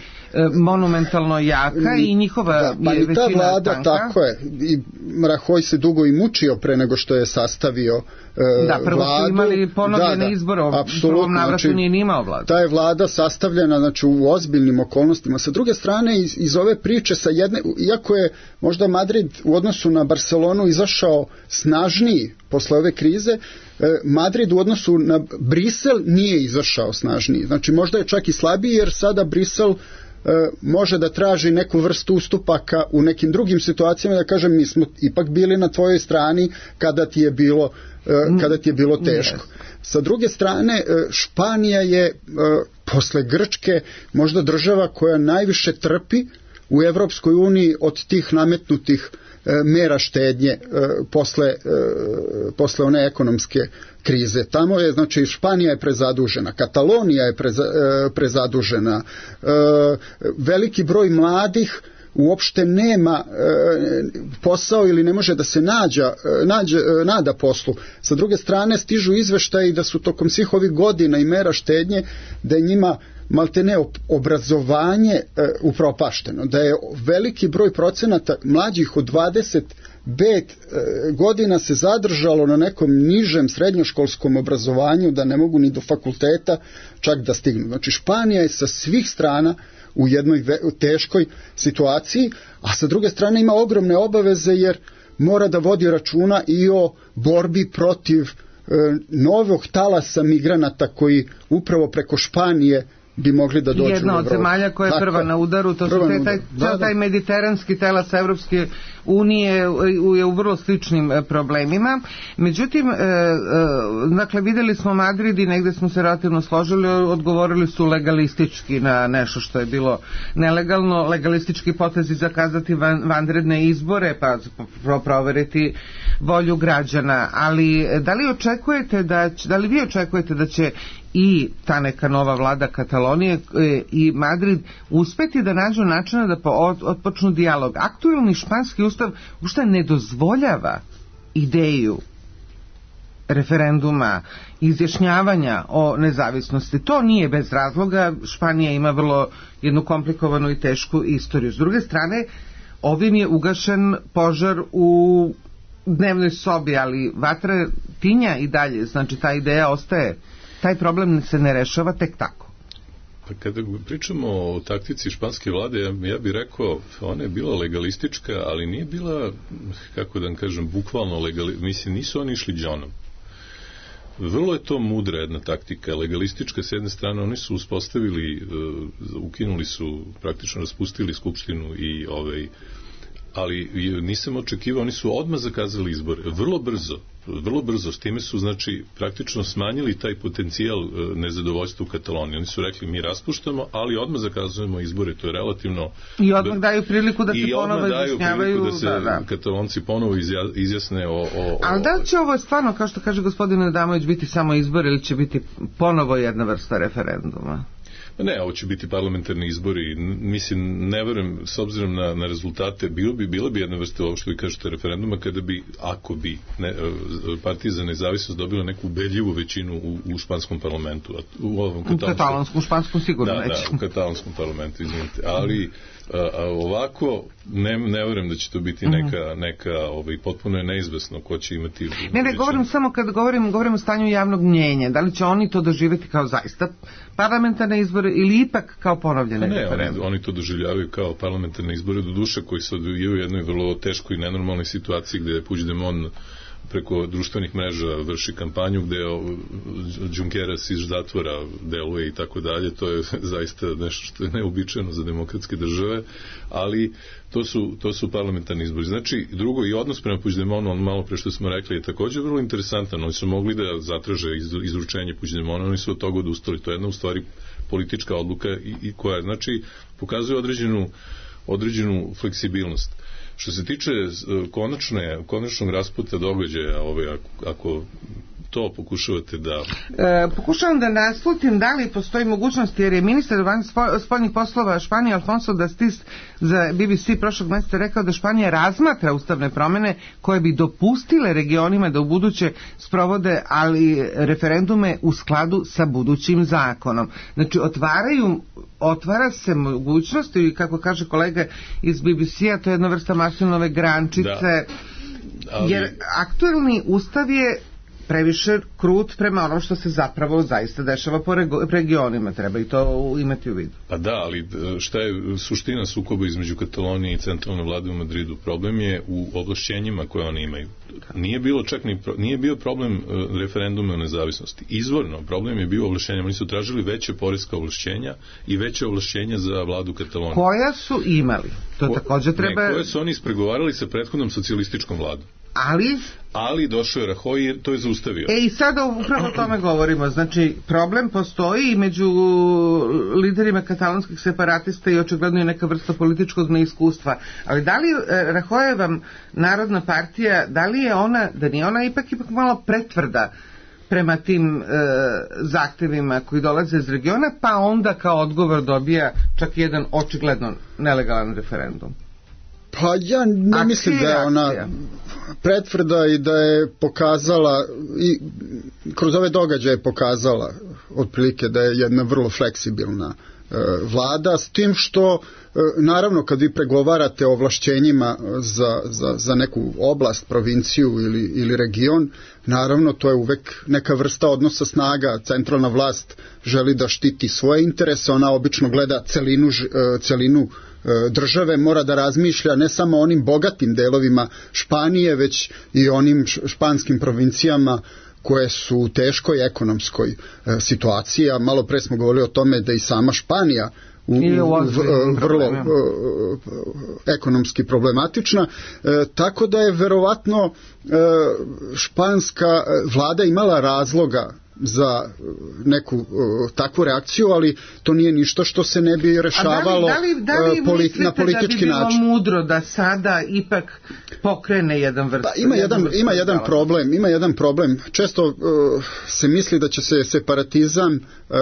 monumentalno jaka i njihova da, pa je većina vlada, tanka. Tako je. I Rajoy se dugo i mučio pre nego što je sastavio e, da, prvo vladu. Su imali ponovljene da, izbore, u prvom navratu znači, nije ni imao vladu. Ta je vlada sastavljena znači, u ozbiljnim okolnostima. Sa druge strane, iz, iz ove priče, sa jedne, iako je možda Madrid u odnosu na Barcelonu izašao snažniji posle ove krize, Madrid u odnosu na Brisel nije izašao snažniji. Znači možda je čak i slabiji, jer sada Brisel može da traži neku vrstu ustupaka u nekim drugim situacijama, da kažem mi smo ipak bili na tvojoj strani kada ti je bilo, kada ti je bilo teško. Sa druge strane, Španija je posle Grčke možda država koja najviše trpi u Evropskoj uniji od tih nametnutih mera štednje posle, posle one ekonomske krize. Tamo je, znači, Španija je prezadužena, Katalonija je preza, prezadužena, veliki broj mladih uopšte nema posao ili ne može da se nađa, nađa, nada poslu. Sa druge strane, stižu izveštaji da su tokom svih ovih godina i mera štednje, da je njima maltene obrazovanje e, upropašteno, da je veliki broj procenata mlađih od dvadeset pet e, godina se zadržalo na nekom nižem srednjoškolskom obrazovanju, da ne mogu ni do fakulteta čak da stignu. Znači Španija je sa svih strana u jednoj ve, u teškoj situaciji, a sa druge strane ima ogromne obaveze jer mora da vodi računa i o borbi protiv e, novog talasa migranata koji upravo preko Španije bi mogli da dođu. Jedna od zemalja koja je Tako, prva na udaru, to su te, taj, da, da. taj mediteranski telas Evropske unije je u vrlo sličnim problemima. Međutim, e, e, dakle, videli smo Madrid i negde smo se relativno složili, odgovorili su legalistički na nešto što je bilo nelegalno, legalistički potezi zakazati van, vanredne izbore, pa proveriti volju građana. Ali da li očekujete da, da li vi očekujete da će i ta neka nova vlada Katalonije i Madrid uspeti da nađu načina da otpočnu dijalog? Aktuelni španski ustav uopšte ne dozvoljava ideju referenduma, izjašnjavanja o nezavisnosti. To nije bez razloga. Španija ima vrlo jednu komplikovanu i tešku istoriju. S druge strane, ovim je ugašen požar u dnevnoj sobi, ali vatra tinja i dalje. Znači, ta ideja ostaje. Taj problem se ne rešava tek tako. Pa kada pričamo o taktici španske vlade, ja, ja bih rekao, ona je bila legalistička, ali nije bila, kako da vam kažem, bukvalno legalistička. Mislim, nisu oni išli džonom. Vrlo je to mudra jedna taktika, legalistička s jedne strane, oni su uspostavili, uh, ukinuli su, praktično raspustili skupštinu i ovaj, ali nisam očekivao, oni su odmah zakazali izbore, vrlo brzo, vrlo brzo, s time su, znači, praktično smanjili taj potencijal nezadovoljstva u Kataloniji. Oni su rekli, mi raspuštamo, ali odmah zakazujemo izbore, to je relativno... I odmah daju priliku da se ponovo izjašnjavaju... I odmah daju priliku da se da, da. Katalonci ponovo izjasne o... o ali da li će ovo stvarno, kao što kaže gospodin Adamović, biti samo izbor ili će biti ponovo jedna vrsta referenduma? Ne, ovo će biti parlamentarni izbori. Mislim, ne verujem, s obzirom na, na rezultate, bilo bi, bila bi jedna vrsta ovo što vi kažete referenduma, kada bi, ako bi ne, partija za nezavisnost dobila neku ubedljivu većinu u, u španskom parlamentu. U ovom katalonskom, u katalonskom španskom sigurno da, već. Da, u katalonskom parlamentu, izvinite. Ali a, a, ovako, ne, ne verujem da će to biti neka, neka ovaj, potpuno je neizvesno ko će imati... Ne, ne, govorim samo kad govorim, govorim o stanju javnog mnjenja. Da li će oni to doživjeti kao zaista parlamentarne izbore ili ipak kao ponovljene ne, referendum? Oni, oni to doživljavaju kao parlamentarne izbore do duše koji se odvijaju u jednoj vrlo teškoj i nenormalnoj situaciji gde Puigdemont preko društvenih mreža vrši kampanju gde Junqueras iz zatvora deluje i tako dalje. To je zaista nešto što je neobičajeno za demokratske države, ali to su, to su parlamentarni izbori. Znači, drugo, i odnos prema Puigdemontu, on malo pre što smo rekli, je također vrlo interesantan. Oni su mogli da zatraže izručenje Puigdemonta, oni su od toga odustali. To je jedna u stvari politička odluka i, i koja, znači, pokazuje određenu, određenu fleksibilnost. Što se tiče konačne, konačnog rasputa događaja, ove, ako, ako to pokušavate da... E, pokušavam da naslutim da li postoji mogućnost, jer je ministar spoljnih poslova Španije Alfonso Dastis za B B C prošlog mjeseca rekao da Španija razmatra ustavne promjene koje bi dopustile regionima da u buduće sprovode ali referendume u skladu sa budućim zakonom. Znači, otvaraju, otvara se mogućnost i kako kaže kolega iz B B C-a, to je jedna vrsta Martinove grančice, da, ali... jer aktuelni ustav je previše krut prema onom što se zapravo zaista dešava po regionima, treba i to imati u vidu. Pa da, ali šta je suština sukoba između Katalonije i centralne vlade u Madridu? Problem je u ovlašćenjima koje oni imaju. Nije bilo čak ni, nije bio problem referenduma o nezavisnosti. Izvorno, problem je bio ovlašćenja. Oni su tražili veće poreska ovlašćenja i veće ovlašćenja za vladu Katalonije. Koja su imali? To Ko, također treba... Ne, koje su oni ispregovarali sa prethodnom socijalističkom vladom. Ali... Ali došao je Rajoy i to je zaustavio. E i sada upravo o tome govorimo. Znači, problem postoji i među liderima katalonskih separatista i očigledno je neka vrsta političkog neiskustva. Ali da li Rajoyeva Narodna partija, da li je ona, da nije ona ipak ipak malo pretvrda prema tim e, zahtevima koji dolaze iz regiona, pa onda kao odgovor dobija čak jedan očigledno nelegalan referendum? Pa ja ne akcija, mislim da je ona pretvrda i da je pokazala i kroz ove događaje pokazala otprilike da je jedna vrlo fleksibilna vlada, s tim što naravno kad vi pregovarate o ovlašćenjima za, za, za neku oblast, provinciju ili, ili region, naravno to je uvek neka vrsta odnosa snaga. Centralna vlast želi da štiti svoje interese, ona obično gleda celinu, celinu države, mora da razmišlja ne samo o onim bogatim delovima Španije, već i onim španskim provincijama koje su u teškoj ekonomskoj situaciji, a malo pre smo govorili o tome da i sama Španija u, u, v, vrlo uh, ekonomski problematična, e, tako da je verovatno e, španska vlada imala razloga za neku uh, takvu reakciju, ali to nije ništa što se ne bi rešavalo da li, da li, da li politi, na politički način. Da li mislite da bi bilo mudro da sada ipak pokrene jedan vrst? Pa ima jedan, jedan ima jedan problem, ima jedan problem. Često uh, se misli da će se separatizam uh, uh,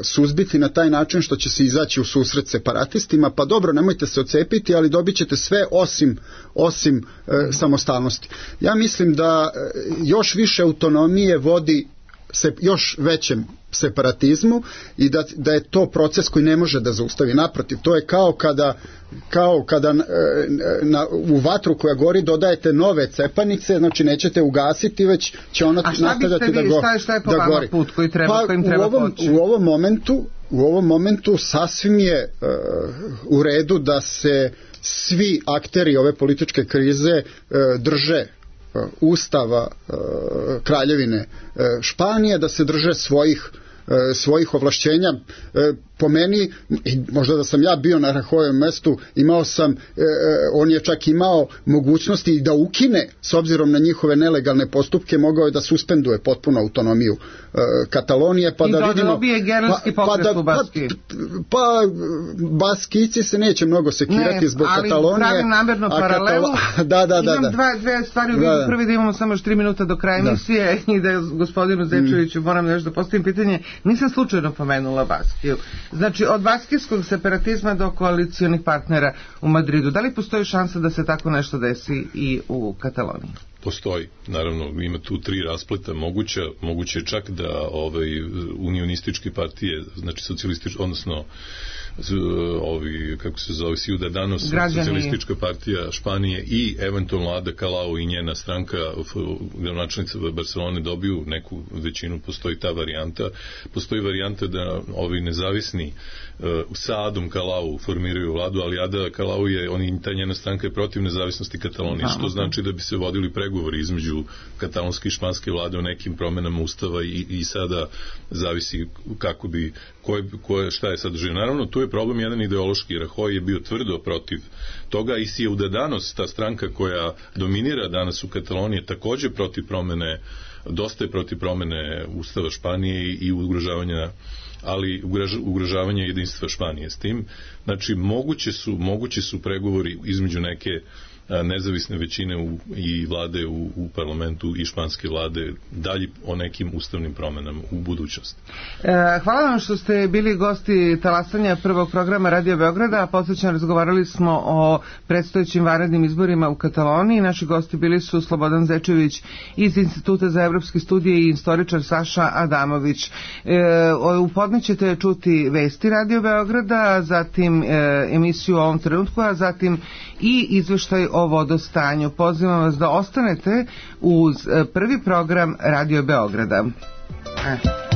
suzbiti na taj način što će se izaći u susret separatistima, pa dobro, nemojte se odcepiti, ali dobit ćete sve osim, osim uh, mm. samostalnosti. Ja mislim da uh, još više autonomije vodi se još većem separatizmu i da, da je to proces koji ne može da zaustavi. Naprotiv, to je kao kada, kao kada na, na, u vatru koja gori dodajete nove cepanice, znači nećete ugasiti, već će ona nastavljati da, go, šta, šta je po da vama gori. Put koji treba, pa, kojim treba u ovom, poći? U ovom momentu, u ovom momentu sasvim je uh, u redu da se svi akteri ove političke krize uh, drže Ustava Kraljevine Španije, da se drže svojih svojih ovlašćenja. Po meni, možda da sam ja bio na Rahojevom mestu, imao sam, on je čak imao mogućnosti da ukine, s obzirom na njihove nelegalne postupke, mogao je da suspenduje potpuno autonomiju Katalonije, pa I da da vidimo... dobije germanski pa, pokret pa da, u Baskiji. Pa, pa Baskici se neće mnogo sekirati ne, zbog Katalonije. Ne, ali pravim namerno paralelu. Katalo... da, da, da, Imam da. dva, dve stvari u vidu. Da. Prvi da imamo samo još tri minuta do kraja emisije da. I da gospodinu Zečeviću mm. moram još da postavim pitanje. Nisam slučajno pomenula Baskiju. Znači, od baskijskog separatizma do koalicijonih partnera u Madridu, da li postoji šansa da se tako nešto desi i u Kataloniji? Postoji, naravno, ima tu tri raspleta moguća, moguće je čak da ovaj, unionističke partije, znači socijalističke, odnosno ovi, kako se zove, Ciudadanos, Građani. Socijalistička partija Španije i eventualno Ada Colau i njena stranka, gradonačelnica Barcelone, dobiju neku većinu, postoji ta varijanta. Postoji varijanta da ovi nezavisni uh, sa Adom Colau formiraju vladu, ali Ada Colau je, oni, ta njena stranka je protiv nezavisnosti Katalonije, što znači da bi se vodili pregovori između katalonske i španske vlade o nekim promenama ustava i, i sada zavisi kako bi, koje, koje, šta je sadržaj. Naravno, tu je problem jedan ideološki. Rajoy je bio tvrdo protiv toga i Ciudadanos, ta stranka koja dominira danas u Kataloniji, takođe protiv promene, dosta je protiv promene ustava Španije i ugrožavanja ali ugrožavanje jedinstva Španije s tim. Znači, moguće su, moguće su pregovori između neke nezavisne većine u, i vlade u, u parlamentu i španske vlade dalje o nekim ustavnim promenama u budućnosti. E, hvala vam što ste bili gosti talasanja prvog programa Radio Beograda. Podsjećam, razgovarali smo o predstojećim vanrednim izborima u Kataloniji. Naši gosti bili su Slobodan Zečević iz Instituta za evropske studije i istoričar Saša Adamović. E, u podne ćete čuti vesti Radio Beograda, zatim e, emisiju o ovom trenutku, a zatim i izveštaj o vodostanju. Pozivam vas da ostanete uz prvi program Radio Beograda. Eh.